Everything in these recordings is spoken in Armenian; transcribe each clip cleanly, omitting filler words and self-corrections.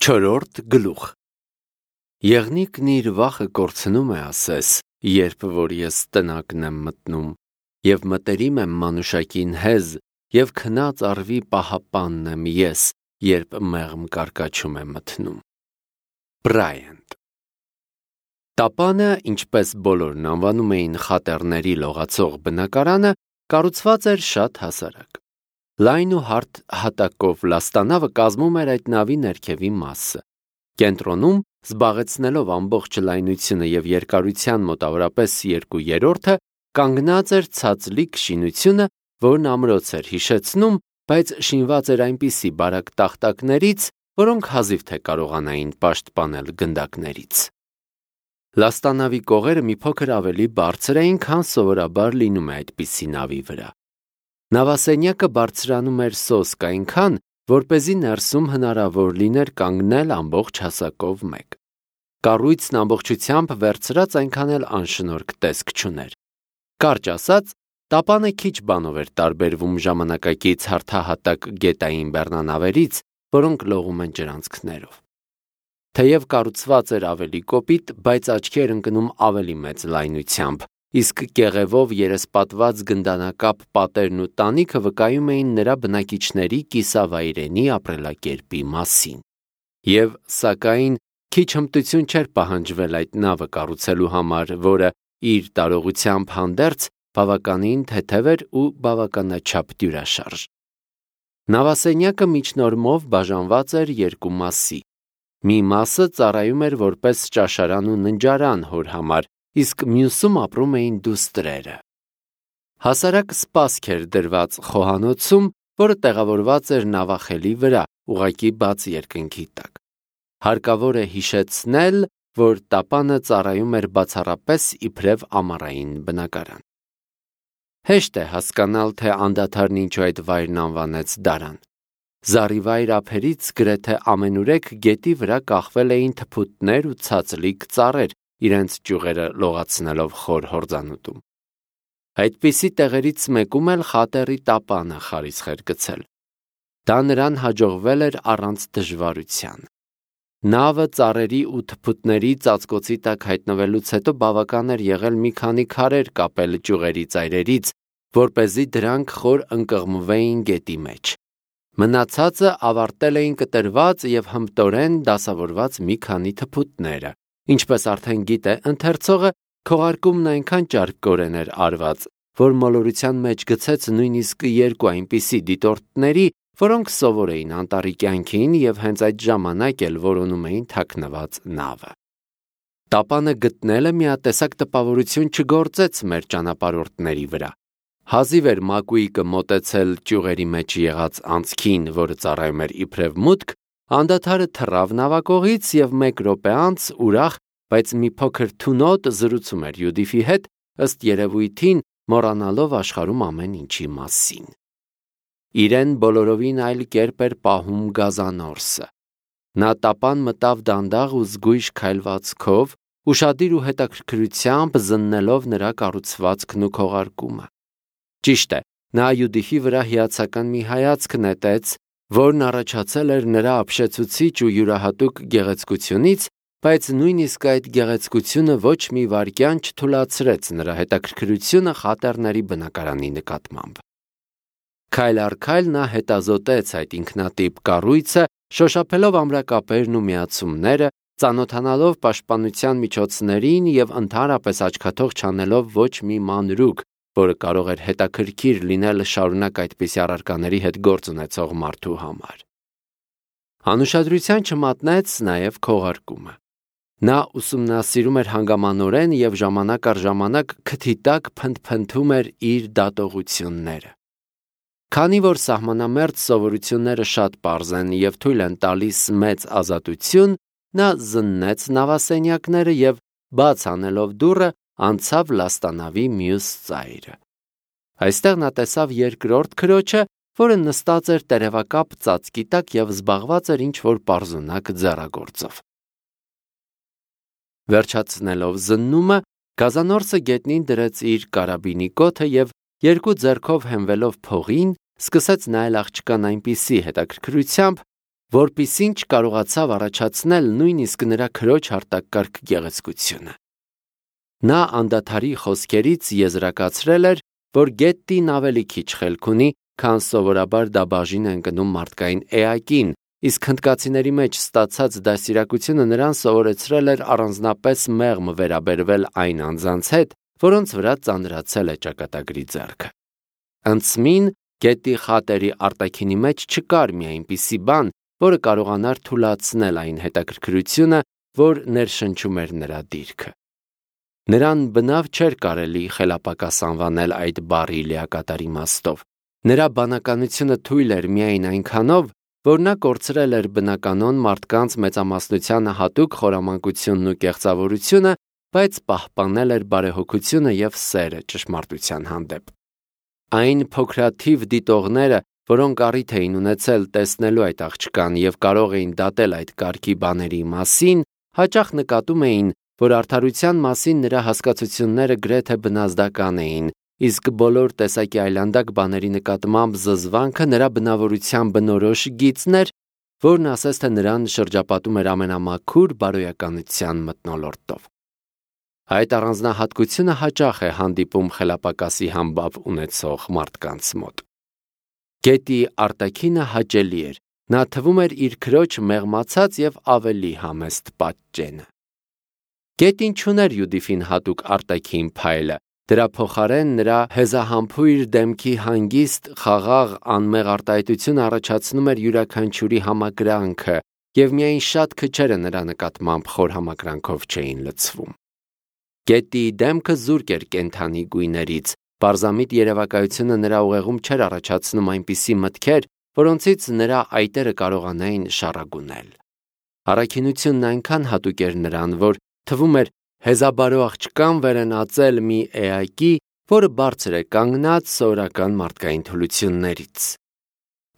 Չորրորդ գլուխ Եղնիկն իր վախը կորցնում է ասես, երբ որ ես տնակն եմ մտնում, և մտերիմ եմ մանուշակին հեզ, և քնած առվի պահապանն եմ ես, երբ մեղմ կարկաչում է մթնում։ Բրայանտ Տապանը, ինչպես բոլորն անվանում էին խատեռների լողացող բնակարանը, կառուցված էր շատ հասարակ։ Լայն ու հարթ հատակով լաստանավը կազմում էր այդ նավի ներքևի մասը։ Կենտրոնում, զբաղեցնելով ամբողջ լայնությունը և երկարության մոտավորապես 2/3, կանգնած էր ցածլիկ շինությունը, որն ամրոց էր հիշեցնում, բայց շինված էր այնպիսի բարակ տախտակներից, որոնք հազիվ թե կարողանային պաշտպանել գնդակներից։ Լաստանավի կողերը մի փոքր ավելի բարձր էին, քան սովորաբար լինում է այդպիսի նավի վրա։ Նավասենյակը բարձրանում էր սոսկ այնքան, որպեսզի ներսում հնարավոր լիներ կանգնել ամբողջ հասակով մեկ։ Կառույցն ամբողջությամբ վերցրած այնքան էլ անշնորհք տեսք չուներ։ Կարճ ասած, տապանը քիչ բանով էր տարբերվում ժամանակակից հարթահատակ գետային բեռնանավերից, որոնք լողում են ջրանցքներով։ Թեև կառուցված էր ավելի կոպիտ, բայց աչքի էր ընկնում ավելի մեծ լայնությամբ, իսկ կեղևով երեսպատված գնդանակապ պատերն ու տանիքը վկայում էին նրա բնակիչների կիսավայրենի ապրելակերպի մասին։ Եվ, սակայն, քիչ հմտություն չէր պահանջվել այդ նավը կառուցելու համար, որը իր տարողությամբ հանդերձ բավականին թեթև էր ու բավականաչափ դյուրաշարժ։ Նավասենյակը միջնորմով բաժանված էր երկու մասի։ Մի մասը ծառայում էր որպես ճաշարան ու ննջարան հոր համար, իսկ մյուսում ապրում էին դուստրերը։ Հասարակ սպասք էր դրված խոհանոցում, որը տեղավորված էր նավախելի վրա, ուղղակի բաց երկնքի տակ։ Հարկավոր է հիշեցնել, որ տապանը ծառայում էր բացառապես իբրև ամառային բնակարան։ Հեշտ է հասկանալ, թե անդադարն ինչու այդ վայրն անվանեց դարան։ Զառիվայր ափերից գրեթե ամենուրեք գետի վրա կախվել էին թփուտներ ու ցածլիկ ծառեր, իրենց ճյուղերը լողացնելով խոր հորձանուտում։ Այդպիսի տեղերից մեկում էլ խատեռի տապանը խարիսխ էր գցել։ Դա նրան հաջողվել էր առանց դժվարության։ Նավը ծառերի ու թփուտների ծածկոցի տակ հայտնվելուց հետո բավական էր եղել մի քանի քարեր կապել ճյուղերի ծայրերից, որպեսզի դրանք խոր ընկղմվեին գետի մեջ։ Մնացածը ավարտել էին կտրված և հմտորեն դասավորված մի քանի թփուտները։ Ինչպես արդեն գիտե ընթերցողը, քողարկումն այնքան ճարպկորեն էր արված, որ մոլորության մեջ գցեց նույնիսկ երկու այնպիսի դիտորդների, որոնք սովոր էին անտառի կյանքին և հենց այդ ժամանակ էլ որոնում էին թաքնված նավը։ Տապանը գտնելը միատեսակ տպավորություն չգործեց մեր ճանապարհորդների վրա։ Հազիվ էր Մակուիկը մոտեցել ճյուղերի մեջ եղած անցքին, որը ծառայում էր իբրև մուտք, անդադարը թռավ նավակողից և 1 րոպե անց ուրախ, բայց մի փոքր թունոտ զրուցում էր Յուդիֆի հետ, ըստ երևույթին մոռանալով աշխարհում ամեն ինչի մասին։ Իրեն բոլորովին այլ կերպ էր պահում Գազանորսը։ Նա տապան մտավ դանդաղ ու զգույշ քայլվածքով, ուշադիր ու հետաքրքրությամբ զննելով նրա կառուցվածքն ու քողարկումը։ Ճիշտ է, նա Յուդիֆի վրա հիացական մի հայացք նետեց, որն առաջացել էր նրա ապշեցուցիչ ու յուրահատուկ գեղեցկությունից, բայց նույնիսկ այդ գեղեցկությունը ոչ մի վայրկյան չթուլացրեց նրա հետաքրքրությունը խատեռների բնակարանի նկատմամբ։ Քայլ առ քայլ նա հետազոտեց այդ ինքնատիպ կառույցը, շոշափելով ամրակապերն ու միացումները, ծանոթանալով պաշտպանության միջոցներին և ընդհանրապես աչքաթող չանելով ոչ մի մանրուք, որը կարող էր հետաքրքիր լինել շարունակ այդպիսի առարկաների հետ գործ ունեցող մարդու համար։ Անուշադրության չմատնեց նաև քողարկումը։ Նա ուսումնասիրում էր հանգամանորեն և ժամանակ առ ժամանակ քթի տակ փնթփնթում էր իր դատողությունները։ Քանի որ սահմանամերձ սովորությունները շատ պարզ են և թույլ են տալիս մեծ ազատություն, նա զննեց նավասենյակները և, բաց անելով դուռը, անցավ լաստանավի մյուս ծայրը։ Այստեղ նա տեսավ երկրորդ քրոջը, որը նստած էր տերևակապ ծածկի տակ և զբաղված էր ինչ-որ պարզունակ ձեռագործով։ Վերջացնելով զննումը, Գազանորսը գետնին դրեց իր կարաբինի կոթը և երկու ձեռքով հենվելով փողին, սկսեց նայել աղջկան այնպիսի հետաքրքրությամբ, որպիսին չկարողացավ առաջացնել նույնիսկ նրա քրոջ հարտակարգ գեղեցկությունը։ Նա անդադարի խոսքերից եզրակացրել էր, որ Գետտին ավելի քիչ խելք ունի, քան սովորաբար դա բաժին է ընկնում մարդկային էակին, իսկ հնդկացիների մեջ ստացած դաստիարակությունը նրան սովորեցրել էր առանձնապես մեղմ վերաբերվել այն անձանց հետ, որոնց վրա ծանրացել է ճակատագրի ձեռքը։ Անցմին Գետտի խատերի արտաքինի մեջ չկար մի այնպիսի բան, որը կարողանար թուլացնել այն հետաքրքրությունը, որ ներշնչում էր նրա դիրքը։ Նրան բնավ չէր կարելի խելապակաս անվանել այդ բառի լիակատար իմաստով։ Նրա բանականությունը թույլ էր միայն այնքանով, որ նա կորցրել էր բնականոն մարդկանց մեծամասնությանը հատուկ խորամանկությունն ու կեղծավորությունը, բայց պահպանել էր բարեհոգությունը և սերը ճշմարտության հանդեպ։ Այն փոքրաթիվ դիտողները, որոնք առիթ էին ունեցել տեսնելու այդ աղջկան և կարող էին դատել այդ կարգի բաների մասին, հաճախ նկատում էին, որ արդարության մասին նրա հասկացությունները գրեթե բնազդական էին, իսկ բոլոր տեսակի այլանդակ բաների նկատմամբ զզվանքը նրա բնավորության բնորոշ գիծն էր, որն ասես թե նրան շրջապատում էր ամենամաքուր բարոյականության մթնոլորտով։ Այդ առանձնահատկությունը հաճախ է հանդիպում խելապակասի համբավ ունեցող մարդկանց մոտ։ Գետի արտաքինը հաճելի էր, նա թվում էր իր քրոջ մեղմացած և ավելի համեստ պատճենը։ Գետին չուներ Յուդիֆին հատուկ արտաքին փայլը, դրա փոխարեն նրա հեզահամբույր դեմքի հանգիստ, խաղաղ, անմեղ արտահայտությունը առաջացնում էր յուրաքանչյուրի համակրանքը, և միայն շատ քչերը նրա նկատմամբ խոր համակրանքով չէին լցվում։ Գետի դեմքը զուրկ էր կենդանի գույներից, պարզամիտ երևակայությունը նրա ուղեղում չէր առաջացնում այնպիսի մտքեր, որոնցից նրա այտերը կարողանային շառագունել։ Առաքինությունն այնքան հատուկ էր նրան, որ թվում էր հեզաբարո աղջկան վերենացել մի էակի, որը բարձր է կանգնած սովորական մարդկային թուլություններից։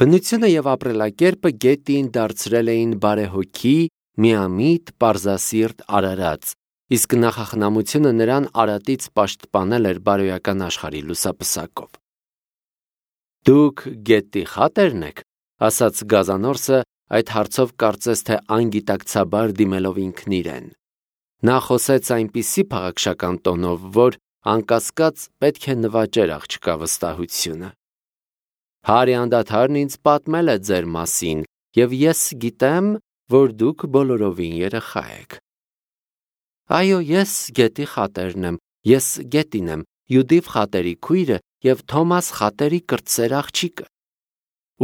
Բնությունը և ապրելակերպը Գետտիին դարձրել էին բարեհոգի, միամիտ, պարզասիրտ արարած, իսկ նախախնամությունը նրան արատից պաշտպանել էր բարոյական աշխարհի լուսապսակով։ «Դուք Գետտի խատե՞րն եք», ասաց Գազանորսը, այդ հարցով կարծես թե անգիտակցաբար դիմելով ինքն իրեն։ Նա խոսեց այնպիսի փաղաքշական տոնով, որ անկասկած պետք է նվաճեր աղջկա վստահությունը։ «Հարի անդադարն ինձ պատմել է ձեր մասին, և ես գիտեմ, որ դուք բոլորովին երեխա եք»։ «Այո, ես Գետի խատերն եմ, ես Գետին եմ, Յուդիֆ խատերի քույրը և Թոմաս խատերի կրտսեր աղջիկը»։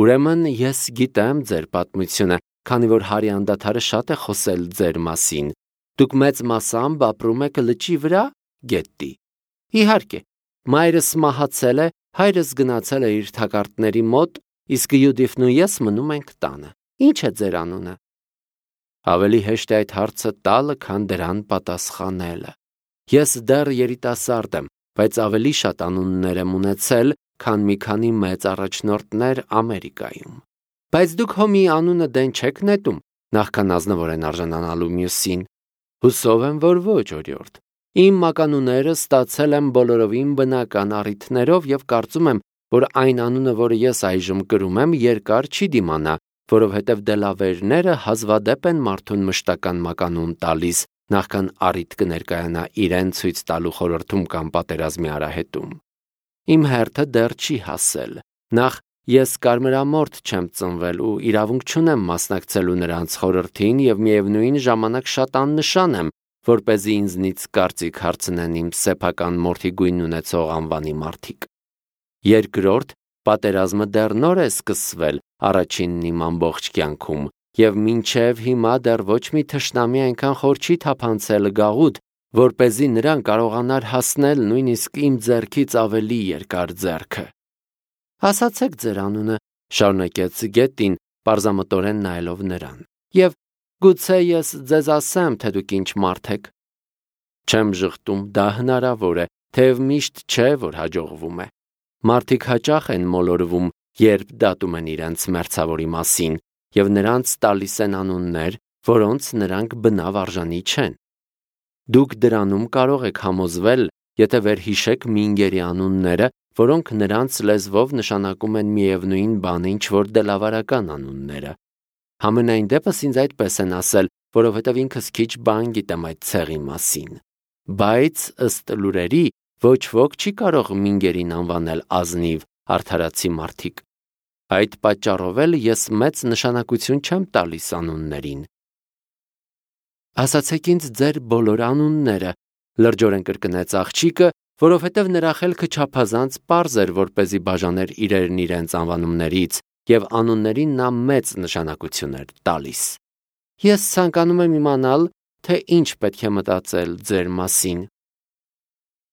«Ուրեմն ես գիտեմ ձեր պատմությունը, քանի որ Հարի անդադարը շատ է խոսել ձեր մասին։ Դուք մեծ մասամբ ապրում եք լճի վրա, Գետտի»։ «Իհարկե, մայրս մահացել է, հայրս գնացել է իր թակարդների մոտ, իսկ Յուդիֆն ու ես մնում ենք տանը։ Ի՞նչ է ձեր անունը»։ Ավելի հեշտ է այդ հարցը տալը, քան դրան պատասխանելը։ Ես դեռ երիտասարդ եմ, բայց ավելի շատ անուններ եմ ունեցել, քան մի քանի մեծ առաջնորդներ Ամերիկայում։ Բայց դուք հո մի անունը դեն չեք նետում, նախքան ազնվորեն արժանանալու մյուսին։ Հուսով եմ, որ ոչ, օրիորդ։ Իմ մականունները ստացել եմ բոլորովին բնական առիթներով և կարծում եմ, որ այն անունը, որը ես այժմ կրում եմ, երկար չի դիմանա, որովհետև դելավերները հազվադեպ են մարդուն մշտական մականուն տալիս, նախքան առիթ կներկայանա իրեն ցույց տալու խորհրդում կամ պատերազմի արահետում։ Իմ հերթը դեռ չի հասել։ Նախ ես կարմրամորթ չեմ ծնվել ու իրավունք չունեմ մասնակցելու նրանց խորհրդին և միևնույն ժամանակ շատ աննշան եմ, որպեսզի ինձնից կարծիք հարցնեն իմ սեփական մորթի գույն ունեցող անվանի մարդիկ։ Երկրորդ, պատերազմը դեռ նոր է սկսվել, առաջինն իմ ամբողջ կյանքում, և մինչև հիմա դեռ ոչ մի թշնամի այնքան խոր չի թափանցել գաղութ, որպեսզի նրան կարողանար հասնել նույնիսկ իմ ձեռքից ավելի երկար ձեռքը։ Ասացեք ձեր անունը, շարունակեց Գետտին, պարզամտորեն նայելով նրան, և գուցե ես ձեզ ասեմ, թե դուք ինչ մարդ եք։ Չեմ ժխտում, դա հնարավոր է, թեև միշտ չէ, որ հաջողվում է։ Մարդիկ հաճախ են մոլորվում, երբ դատում են իրենց մերձավորի մասին, և նրանց տալիս են անուններ, որոնց նրանք բնավ արժանի չեն։ Դուք դրանում կարող եք համոզվել, եթե վերհիշեք մինգերի անունները, որոնք նրանց լեզվով նշանակում են միևնույն բան, ինչ որ դելավարական անունները։ Համենայն դեպս ինձ այդպես են ասել, որովհետև ինքս քիչ բան գիտեմ այդ ցեղի մասին։ Բայց ըստ լուրերի ոչ ոք չի կարող մինգերին անվանել ազնիվ, արդարացի մարդիկ։ Այդ պատճառով էլ ես մեծ նշանակություն չեմ տալիս անուններին։ Ասացեք ինձ ձեր բոլոր անունները, լրջորեն կրկնեց աղջիկը, որովհետև նրա խելքը չափազանց պարզ էր, որպեսզի բաժաներ իրերն իրենց անվանումներից, եւ անուններին նա մեծ նշանակություն էր տալիս։ Ես ցանկանում եմ իմանալ, թե ինչ պետք է մտածել ձեր մասին։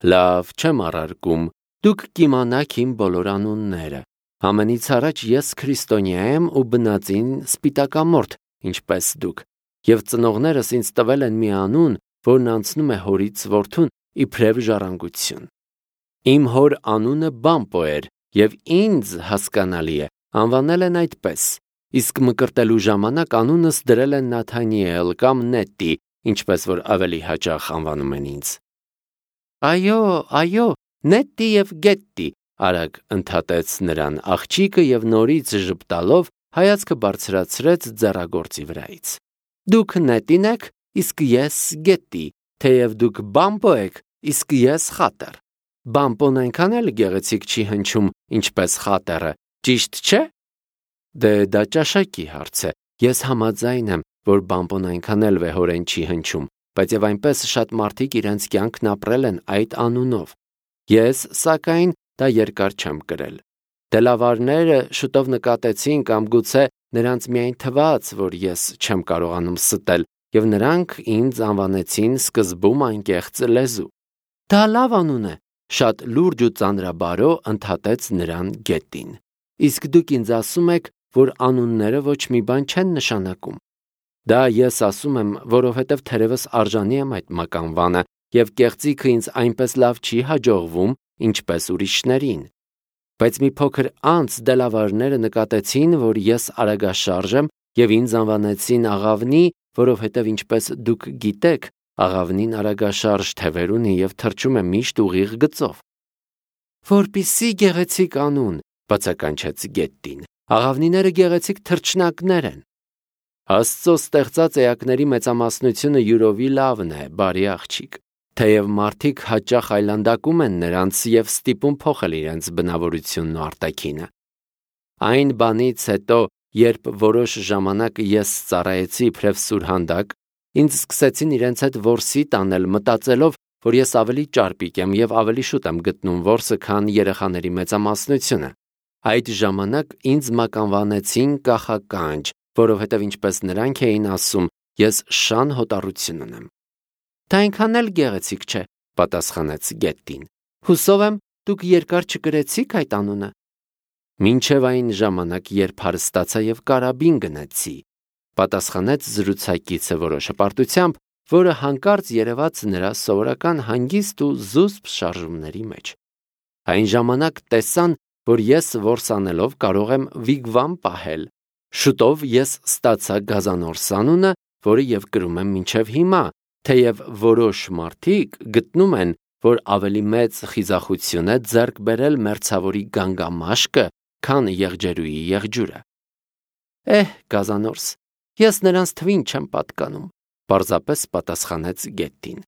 Լավ, չեմ առարկում, դուք կիմանաք իմ բոլոր անունները։ Ամենից առաջ ես քրիստոնյա եմ ու բնածին սպիտակամորթ, ինչպես դուք, եւ ծնողներս ինձ տվել են մի անուն, որն անցնում է հորից որդուն իբրև ժառանգություն։ Իմ հոր անունը Բամպո էր, եւ ինձ հասկանալի է, անվանել են այդպես, իսկ մկրտելու ժամանակ անունս դրել են Նաթանիել կամ Նետի, ինչպես որ ավելի հաճախ անվանում են ինձ։ Այո, Նետի եւ Գետտի, արագ ընդհատեց նրան աղջիկը եւ նորից ժպտալով հայացքը բարձրացրեց ձեռագործի վրայից։ Դուք Նետին եք, իսկ ես Գետտի, թեև դուք Բամպո եք, իսկ ես Խատեր։ Բամպոն այնքան էլ գեղեցիկ չի հնչում, ինչպես Խատերը, ճիշտ չէ։ Դե դա ճաշակի հարց է։ Ես համաձայն եմ, որ Բամպոն այնքան էլ վեհորեն չի հնչում, բայց եւ այնպես շատ մարդիկ իրենց կյանքն ապրել են այդ անունով։ Ես, սակայն, դա երկար չեմ կրել։ Դելավարները շուտով նկատեցին կամ գուցե նրանց միայն թվաց, որ ես չեմ կարողանում ստել, եւ նրանք ինձ անվանեցին սկզբում անկեղծ լեզու։ Դա լավ անուն է, շատ լուրջ ու ծանրաբարո ընդհատեց նրան Գետին։ Իսկ դուք ինձ ասում եք, որ անունները ոչ մի բան չեն նշանակում։ Դա ես ասում եմ, որովհետև թերևս արժանի եմ այդ մականվանը, եւ կեղծիքը ինձ այնպես լավ չի հաջողվում, ինչպես ուրիշներին։ Բայց մի փոքր անց դելավարները նկատեցին, որ ես արագաշարժ եմ, եւ ինձ անվանեցին Աղավնի, որովհետև ինչպես դուք գիտեք, Աղավնին արագաշարժ թևեր ունի եւ թռչում է միշտ ուղիղ գծով։ Որպիսի գեղեցիկ անուն, բացականչեց Գետտին։ Աղավնիները գեղեցիկ թռչնակներ են։ Աստծո ստեղծած էակների մեծամասնությունը յուրովի լավն է, բարի աղջիկ։ Թեև մարդիկ հաճախ այլանդակում են նրանց եւ ստիպում փոխել իրենց բնավորությունն ու արտաքինը։ Այն բանից հետո, երբ որոշ ժամանակ ես ծառայեցի իբրև սուրհանդակ, ինձ սկսեցին իրենց հետ որսի տանել, մտածելով, որ ես ավելի ճարպիկ եմ եւ ավելի շուտ եմ գտնում որսը, քան երեխաների մեծամասնությունը։ Այդ ժամանակ ինձ մականվանեցին կախականջ, որովհետև ինչպես նրանք էին ասում, ես շան հոտառություն ունեմ։ Դա այնքան էլ գեղեցիկ չէ, պատասխանեց Գետտին։ Հուսով եմ, դուք երկար չկրեցիք այդ անունը։ Մինչև այն ժամանակ, երբ հարստացա եւ կարաբին գնացի, պատասխանեց զրուցակիցը որոշ հպարտությամբ, որը հանկարծ երևաց նրա սովորական հանգիստ ու զուսպ շարժումների մեջ։ Այն ժամանակ տեսան, որ ես որսանելով կարող եմ վիգվամ պահել։ Շուտով ես ստացա Գազանորս անունը, որը եւ կրում եմ մինչև հիմա, թեև որոշ մարդիկ գտնում են, որ ավելի մեծ խիզախություն է ձեռք բերել մերձավորի գանգամաշկը, քան եղջերուի եղջյուրը։ Գազանորս, ես նրանց թվին չեմ պատկանում, պարզապես պատասխանեց Գետտին։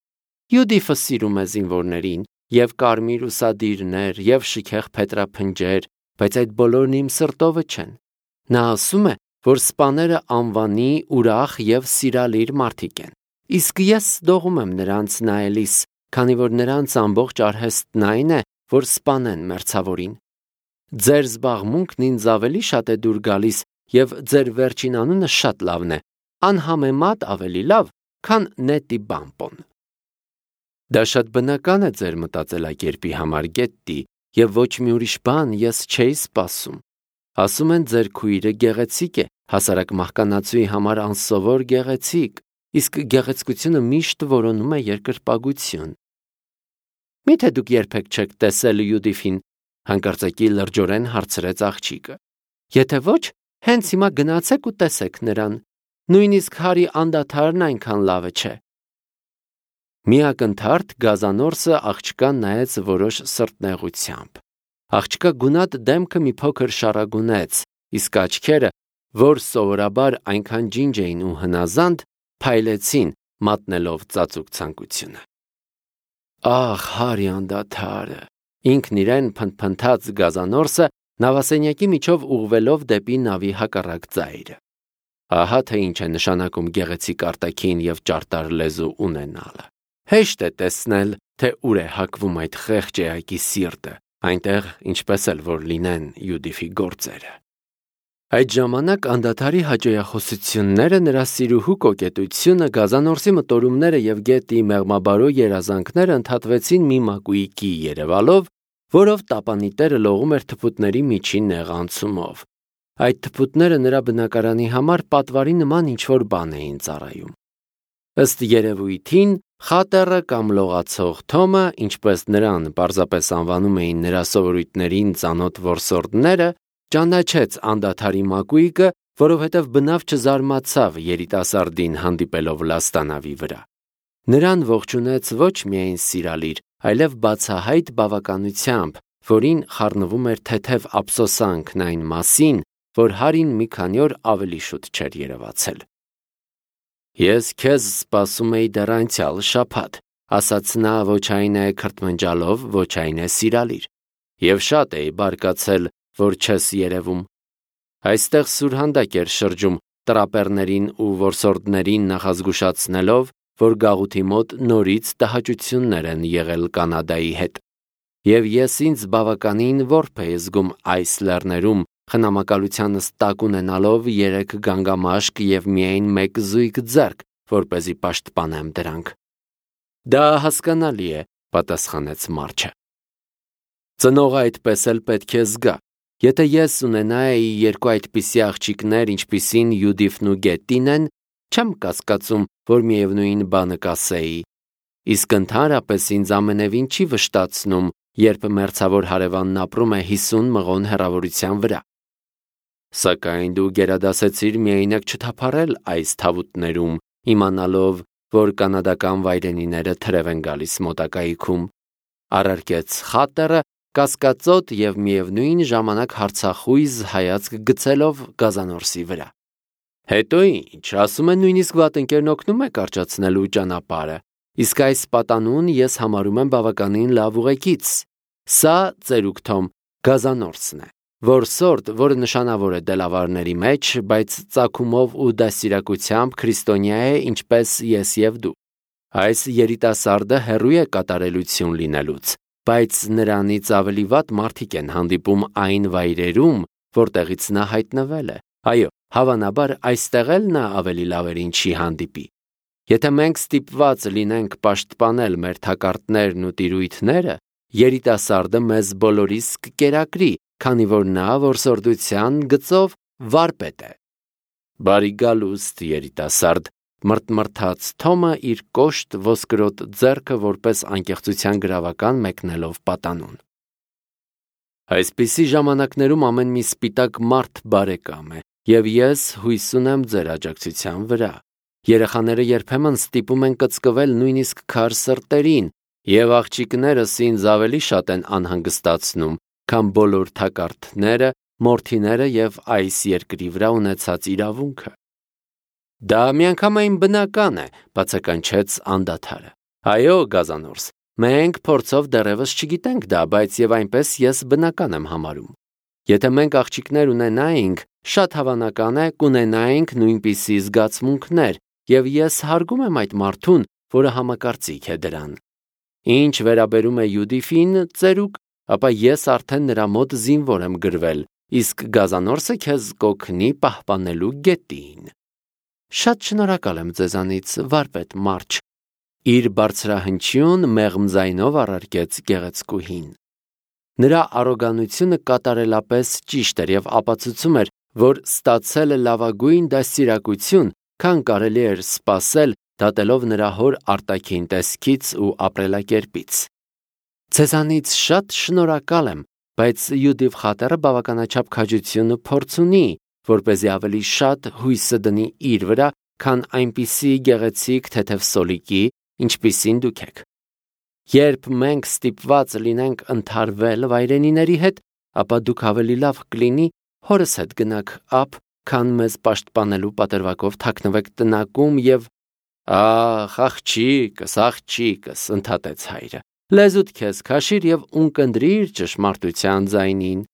Յուդիֆը սիրում է զինվորներին, եւ կարմիր ուսադիրներ, եւ շքեղ փետրափնջեր, բայց այդ բոլորն իմ սրտովը չեն։ Նա ասում է, որ սպաները անվանի, ուրախ եւ սիրալիր մարդիկ են։ Իսկ ես դողում եմ նրանց նայելիս, քանի որ նրանց ամբողջ արհեստն այն է, որ սպանեն մերձավորին։ Ձեր զբաղմունքն ինձ ավելի շատ է դուր գալիս, եւ ձեր վերջին անունը շատ լավն է, անհամեմատ ավելի լավ, քան Նետի Բամպոն։ Դա շատ բնական է ձեր մտածելակերպի համար, Գետտի, եւ ոչ մի ուրիշ բան ես չէի սպասում։ Ասում են ձեր քույրը գեղեցիկ է, հասարակ մահկանացուի համար անսովոր գեղեցիկ, իսկ գեղեցկությունը միշտ որոնում է երկրպագություն։ Միթե դուք երբեք չեք տեսել Յուդիֆին, հանկարծակի լրջորեն հարցրեց աղջիկը։ Եթե ոչ, հենց հիմա գնացեք ու տեսեք նրան, նույնիսկ Հարի անդադարն այնքան լավը չէ։ Միակնթարթ Գազանորսը աղջկան նայեց որոշ սրտնեղությամբ։ Աղջկա գունատ դեմքը մի փոքր շարագունեց, իսկ աչքերը որ սովորաբար այնքան ջինջ էին ու հնազանդ, փայլեցին, մատնելով ծածուկ ցանկությունը։ Ահ, հարի անդադարը, ինքն իրեն փնթփնթաց գազանորսը նավասենյակի միջով ուղղվելով դեպի նավի հակառակ ծայրը։ Ահա թե ինչ է նշանակում գեղեցիկ արտաքին և ճարտար լեզու ունենալը։ Հեշտ է տեսնել, թե ուր է հակվում այդ խեղճ էակի սիրտը, այնտեղ ինչպես էլ որ լինեն Յուդիֆի գործերը։ Այդ ժամանակ անդադարի հաճոյախոսությունները, նրա սիրուհու կոկետությունը, գազանորսի մտորումները և գետի մեղմաբարո երազանքները ընդհատվեցին մի մակույկի երևալով, որով տապանիտերը լողում էր թփուտների միջին նեղանցումով։ Այդ թփուտները նրա բնակարանի համար պատվարի նման ինչ-որ բան էին ծառայում։ Ըստ երևույթին, խատերը կամ լողացող Թոմը, ինչպես նրան պարզապես անվանում էին նրա սովորույթներին ծանոթ որսորդները, ճանաչեց անդադարի մակույկը, որովհետև բնավ չզարմացավ երիտասարդին հանդիպելով լաստանավի վրա։ Նրան ողջունեց ոչ միայն սիրալիր, այլև բացահայտ բավականությամբ, որին խառնվում էր թեթև ափսոսանքն այն մասին, որ Հարին մի քանի օր ավելի շուտ չէր երևացել։ Ես քեզ սպասում էի դեռ անցյալ շաբաթ, ասաց նա ոչ այն է քրթմնջալով, ոչ այն է սիրալիր, և շատ էի բարկացել, որ չես երևում։ Այստեղ սուրհանդակ էր շրջում, տրապերներին ու որսորդներին նախազգուշացնելով, որ գաղութի մոտ նորից տհաճություններ են եղել Կանադայի հետ։ Եվ ես ինձ բավականին որբ էի զգում այս լեռներում, խնամակալությանս տակ ունենալով 3 գանգամաշկ և միայն 1 զույգ ձեռք, որպեսզի պաշտպանեմ դրանք։ Դա հասկանալի է, պատասխանեց Մարչը։ Ծնողը այդպես էլ պետք է զգա։ Եթե ես ունենայի 2 այդպիսի աղջիկներ, ինչպիսին Յուդիֆն ու Գետտին են, չեմ կասկածում, որ միևնույն բանը կասեի։ Իսկ ընդհանրապես ինձ ամենևին չի վշտացնում, երբ մերձավոր հարևանն ապրում է 50 մղոն հեռավորության վրա։ Սակայն դու գերադասեցիր միայնակ չթափառել այս թավուտներում, իմանալով, որ կանադական վայրենիները թրև են գալիս մոտակայքում, առարկեց խատերը, կասկածոտ և միևնույն ժամանակ հարցախույզ հայացք գցելով գազանորսի վրա։ Հետո ինչ, ասում են նույնիսկ վատընկերն օգնում է կարճացնելու ճանապարհը, իսկ այս պատանուն ես համարում եմ բավականին լավ ուղեկից։ Սա, ծերուկ Թոմ, գազանորսն է, որսորդ, որը նշանավոր է դելավարների մեջ, բայց ծագումով ու դաստիարակությամբ քրիստոնյա է, ինչպես ես և դու։ Այս երիտասարդը հեռու է կատարելություն լինելուց, բայց նրանից ավելի վատ մարդիկ են հանդիպում այն վայրերում, որտեղից նա հայտնվել է։ Այո, հավանաբար այստեղ էլ նա ավելի լավերին չի հանդիպի։ Եթե մենք ստիպված լինենք պաշտպանել մեր թակարդներն ու տիրույթները, երիտասարդը մեզ բոլորիս կկերակրի, քանի որ նա որսորդության գծով վարպետ է։ Բարի գալուստ, երիտասարդ, մրթմրթաց Թոմը իր կոշտ ոսկրոտ ձեռքը որպես անկեղծության գրավական մեկնելով պատանուն։ Այսպիսի ժամանակներում ամեն մի սպիտակ մարդ բարեկամ է, և ես հույս ունեմ ձեր աջակցության վրա։ Երեխաները երբեմն ստիպում են կծկվել նույնիսկ քար սրտերին, և աղջիկներս ինձ ավելի շատ են անհանգստացնում, քան բոլոր թակարդները, մորթիները և այս երկրի վրա ունեցած իրավունքը։ Դա միանգամայն բնական է, բացականչեց անդադարը։ Այո, գազանորս, մենք փորձով դեռևս չգիտենք դա, բայց և այնպես ես բնական եմ համարում։ Եթե մենք աղջիկներ ունենայինք, շատ հավանական է կունենայինք նույնպիսի զգացմունքներ, և ես հարգում եմ այդ մարդուն, որը համակարծիք է դրան։ Ինչ վերաբերում է Յուդիֆին, ծերուկ, ապա ես արդեն նրա մոտ զինվոր եմ գրվել, իսկ գազանորսը քեզ կօգնի պահպանելու Գետտին։ Շատ շնորհակալ եմ ձեզանից, վարպետ Մարչ, իր բարձրահնչյուն մեղմ ձայնով առարկեց գեղեցկուհին։ Նրա առոգանությունը կատարելապես ճիշտ էր և ապացուցում էր, որ ստացել է լավագույն դաստիարակություն, քան կարելի էր սպասել, դատելով նրա հոր արտաքին տեսքից ու ապրելակերպից։ Ձեզանից շատ շնորհակալ եմ, բայց Յուդիֆ խատերը բավականաչափ քաջություն ու փորձ ունի, որպեսզի ավելի շատ հույսը դնի իր վրա, քան այնպիսի գեղեցիկ թեթև սոլիկի, ինչպիսին դուք եք։ Երբ մենք ստիպված լինենք ընդհարվել վայրենիների հետ, ապա դուք ավելի լավ կլինի հորս հետ գնաք ապ քան մեզ պաշտպանելու պատրվակով թաքնվեք տնակում եւ աղջիկս, ընդհատեց հայրը, լեզուդ քեզ քաշիր եւ ունկնդրիր ճշմարտության ձայնին։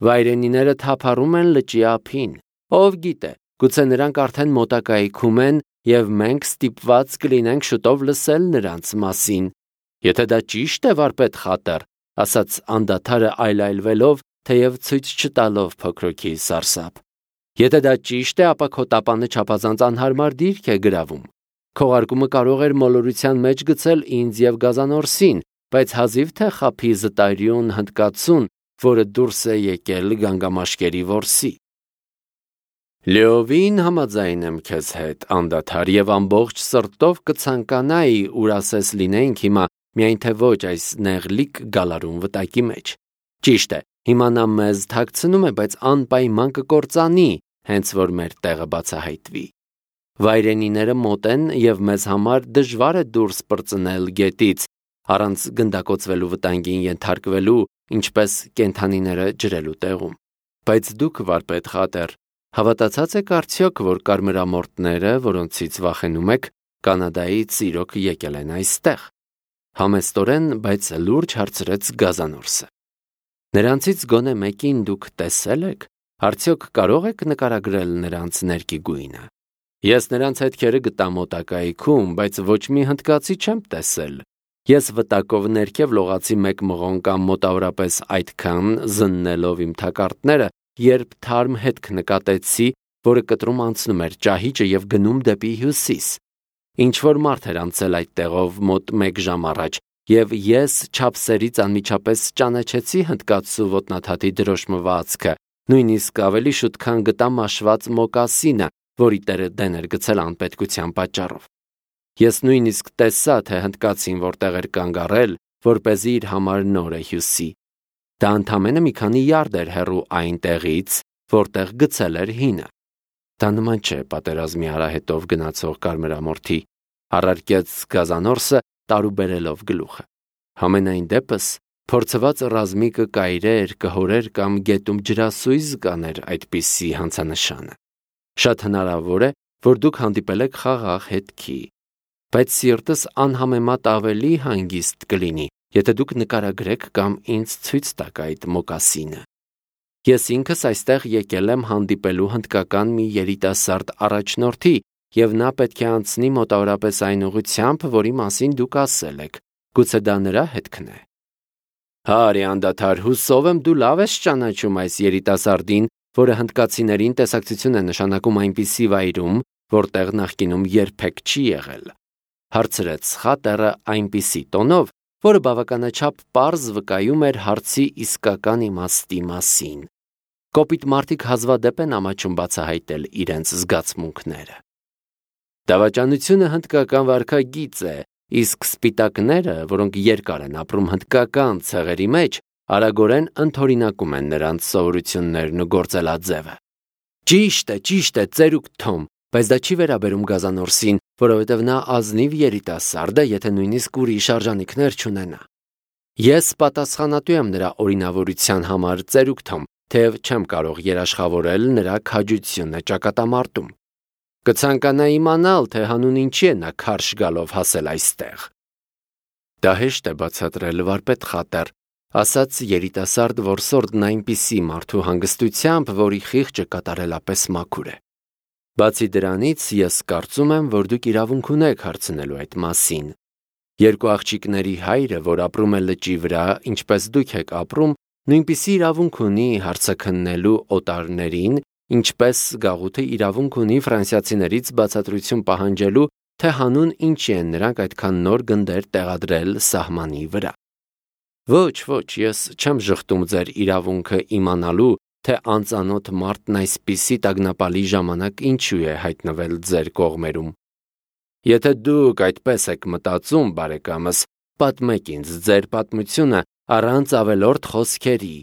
Վայրենիները թափառում են լճի ափին, ով գիտե, գուցե նրանք արդեն մոտակայքում են եւ մենք ստիպված կլինենք շուտով լսել նրանց մասին։ Եթե դա ճիշտ է, վարպետ Խատեր, ասաց անդադարը այլայլվելով, թեև ցույց չտալով փոքրոքի սարսափ։ Եթե դա ճիշտ է, ապա քո տապանը չափազանց անհարմար դիրք է գրավում։ Քողարկումը կարող էր մոլորության մեջ գցել ինձ եւ Գազանորսին, բայց հազիվ թե խափի զտարյուն հնդկացուն, որը դուրս է եկել գանգամաշկերի որսի։ Լեովին համաձայն եմ քեզ հետ, անդադար, եւ ամբողջ սրտով կցանկանայի, ուր ասես լինեինք հիմա, միայն թե ոչ այս նեղլիկ գալարուն վտակի մեջ։ Ճիշտ է, հիմա նա մեզ թաքցնում է, բայց անպայման կկործանի, հենց որ մեր տեղը բացահայտվի։ Վայրենիները մոտ են եւ մեզ համար դժվար է դուրս պրծնել գետից, առանց գնդակոծվելու վտանգին ենթարկվելու, ինչպես կենդանիները ջրելու տեղում։ Բայց դուք, վարպետ Խատեր, հավատացած եք արդյոք, որ կարմրամորտները, որոնցից վախենում եք, Կանադայից իրոք եկել են այստեղ։ Համեստորեն, բայց լուրջ հարցրեց Գազանորսը։ Նրանցից գոնե մեկին դուք տեսել եք, արդյոք կարող եք նկարագրել նրանց ներքի գույնը։ Ես նրանց հետքերը գտա մոտակայքում, բայց ոչ մի հնդկացի չեմ տեսել։ Ես վտակով ներքև լողացի մեկ մղոն կամ մոտավորապես այդքան զննելով իմ թակարդները, երբ թարմ հետք նկատեցի, որը կտրում անցնում էր ճահիճը եւ գնում դեպի հյուսիս։ Ինչ որ մարդ էր անցել այդ տեղով մոտ 1 ժամ առաջ, եւ ես չափսերից անմիջապես ճանաչեցի հնդկացու ոտնաթաթի դրոշմվածքը, նույնիսկ ավելի շուտ քան գտա մաշված մոկասինը, որի տերը դեն էր գցել անպետքության պատճառով։ Ես նույնիսկ տեսա, թե հնդկացին որտեղ էր կանգ առել, որպեսզի իր համար նոր է հյուսի։ Դա ընդամենը մի քանի յարդ էր հեռու այն տեղից, որտեղ գցել էր հինը։ Դա նման չէ պատերազմի արահետով գնացող կարմրամորթի, առարկեց Գազանորսը, տարուբերելով գլուխը։ Համենայն դեպս, փորձված ռազմիկը կայրեր, կհորեր կամ գետում ջրասույզ կաներ այդպիսի հանցանշանը։ Շատ հնարավոր է, որ դուք հանդիպել եք խաղաղ հետքի, բայց սիրտս անհամեմատ ավելի հանգիստ կլինի, եթե դուք նկարագրեք կամ ինձ ցույց տաք այդ մոկասինը։ Ես ինքս այստեղ եկել եմ հանդիպելու հնդկական մի երիտասարդ առաջնորդի, եւ նա պետք է անցնի մոտավորապես այն ուղղությամբ, որի մասին դուք ասել եք։ Գուցե դա նրա հետքն է։ Հարի անդադար, հուսով եմ դու լավ ես ճանաչում այս երիտասարդին, որը հնդկացիներին տեսակցություն է նշանակում այնպիսի վայրում, որտեղ նախկինում երբեք չի եղել։ Հարցրեց Խատերը այնպիսի տոնով, որը բավականաչափ պարզ վկայում էր հարցի իսկական իմաստի մասին։ Կոպիտ մարդիկ հազվադեպ են ամաչում բացահայտել իրենց զգացմունքները։ Դավաճանությունը հնդկական վարքագիծ է, իսկ սպիտակները, որոնք երկար են ապրում հնդկական ցեղերի մեջ, արագորեն ընդօրինակում են նրանց սովորություններն ու գործելաձևը։ Ճիշտ է, ծերուկ Թոմ, բայց դա չի վերաբերում Գազանորսին, որովհետև նա ազնիվ երիտասարդ է, եթե նույնիսկ ուրիշ արժանինքներ չունենա։ Ես պատասխանատու եմ նրա օրինավորության համար, ծերուկ Թոմ, թեև չեմ կարող երաշխավորել նրա քաջությունը ճակատամարտում։ Կցանկանա իմանալ, թե հանուն ինչի է նա քարշ գալով հասել այստեղ։ Դա հեշտ է բացատրել, վարպետ Խատեր, ասաց երիտասարդ որսորդն այնպիսի մարդու հանգստությամբ, որի խիղճը կատարելապես մաքուր է։ Բացի դրանից, ես կարծում եմ, որ դուք իրավունք ունեք հարցնելու այդ մասին։ Երկու աղջիկների հայրը, որ ապրում է լճի վրա, ինչպես դուք եք ապրում, նույնպիսի իրավունք ունի հարցաքննելու օտարներին, ինչպես գաղութը իրավունք ունի ֆրանսիացիներից բացատրություն պահանջելու, թե հանուն ինչի են նրանք այդքան նոր գնդեր տեղադրել սահմանի վրա։ Ոչ, ես չեմ ժխտում ձեր իրավունքը իմանալու, թե անծանոթ մարդն այսպիսի տագնապալի ժամանակ ինչու է հայտնվել ձեր կողմերում։ Եթե դուք այդպես եք մտածում, բարեկամս, պատմեք ինձ ձեր պատմությունը առանց ավելորդ խոսքերի,